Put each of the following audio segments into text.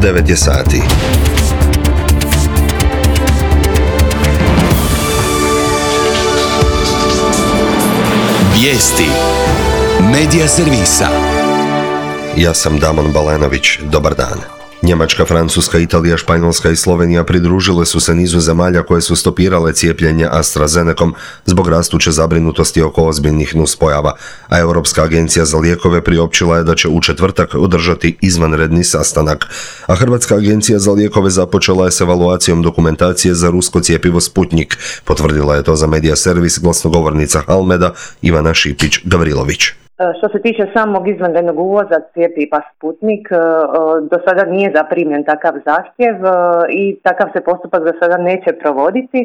9 je sati. Vijesti Medija servisa. Ja sam Damon Balenović. Dobar dan. Njemačka, Francuska, Italija, Španjolska i Slovenija pridružile su se nizu zemalja koje su stopirale cijepljenje AstraZenecom zbog rastuće zabrinutosti oko ozbiljnih nuspojava, a Europska agencija za lijekove priopćila je da će u četvrtak održati izvanredni sastanak. A Hrvatska agencija za lijekove započela je s evaluacijom dokumentacije za rusko cjepivo Sputnik. Potvrdila je to za Medija servis glasnogovornica Halmeda Ivana Šipić-Gavrilović. Što se tiče samog izvanrednog uvoza cjepiva Sputnik, do sada nije zaprimljen takav zahtjev i takav se postupak do sada neće provoditi.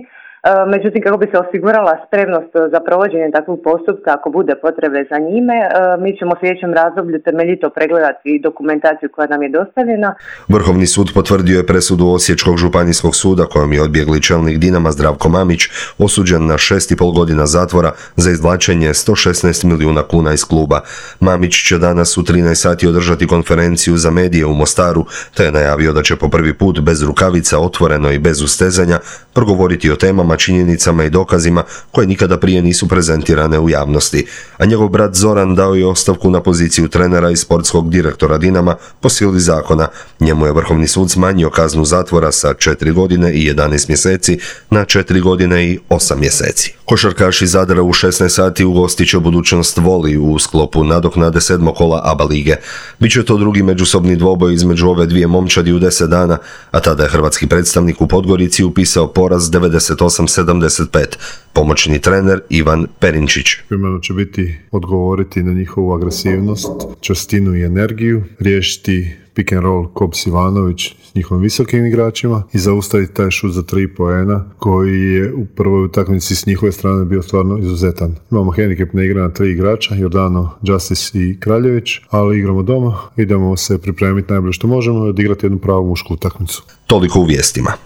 Međutim, kako bi se osigurala spremnost za provođenje takvog postupka, ako bude potrebe za njime, mi ćemo u sljedećem razdoblju temeljito pregledati dokumentaciju koja nam je dostavljena. Vrhovni sud potvrdio je presudu Osječkog županijskog suda kojom je odbjegli čelnik Dinama Zdravko Mamić osuđen na 6,5 godina zatvora za izvlačenje 116 milijuna kuna iz kluba. Mamić će danas u 13 sati održati konferenciju za medije u Mostaru, te je najavio da će po prvi put bez rukavica, otvoreno i bez ustezanja progovoriti o temama, činjenicama i dokazima koje nikada prije nisu prezentirane u javnosti. A njegov brat Zoran dao je ostavku na poziciju trenera i sportskog direktora Dinama po sili zakona. Njemu je Vrhovni sud smanjio kaznu zatvora sa 4 godine i 11 mjeseci na 4 godine i 8 mjeseci. Košarkaši Zadra u 16 sati ugostit će Budućnost Voli u sklopu nadoknade 7. kola ABA lige. Biće to drugi međusobni dvoboj između ove dvije momčadi u 10 dana, a tada je hrvatski predstavnik u Podgorici upisao poraz 98-75. Pomoćni trener Ivan Perinčić. Primarno će biti odgovoriti na njihovu agresivnost, čvrstinu i energiju, riješiti pick and roll Kops Ivanović s njihovim visokim igračima i zaustaviti taj šut za 3 poena koji je u prvoj utakmici s njihove strane bio stvarno izuzetan. Imamo hendikep na igra na 3 igrača, Jordano, Justice i Kraljević, ali igramo doma, idemo se pripremiti najbolje što možemo i odigrati jednu pravu mušku utakmicu. Toliko u vijestima.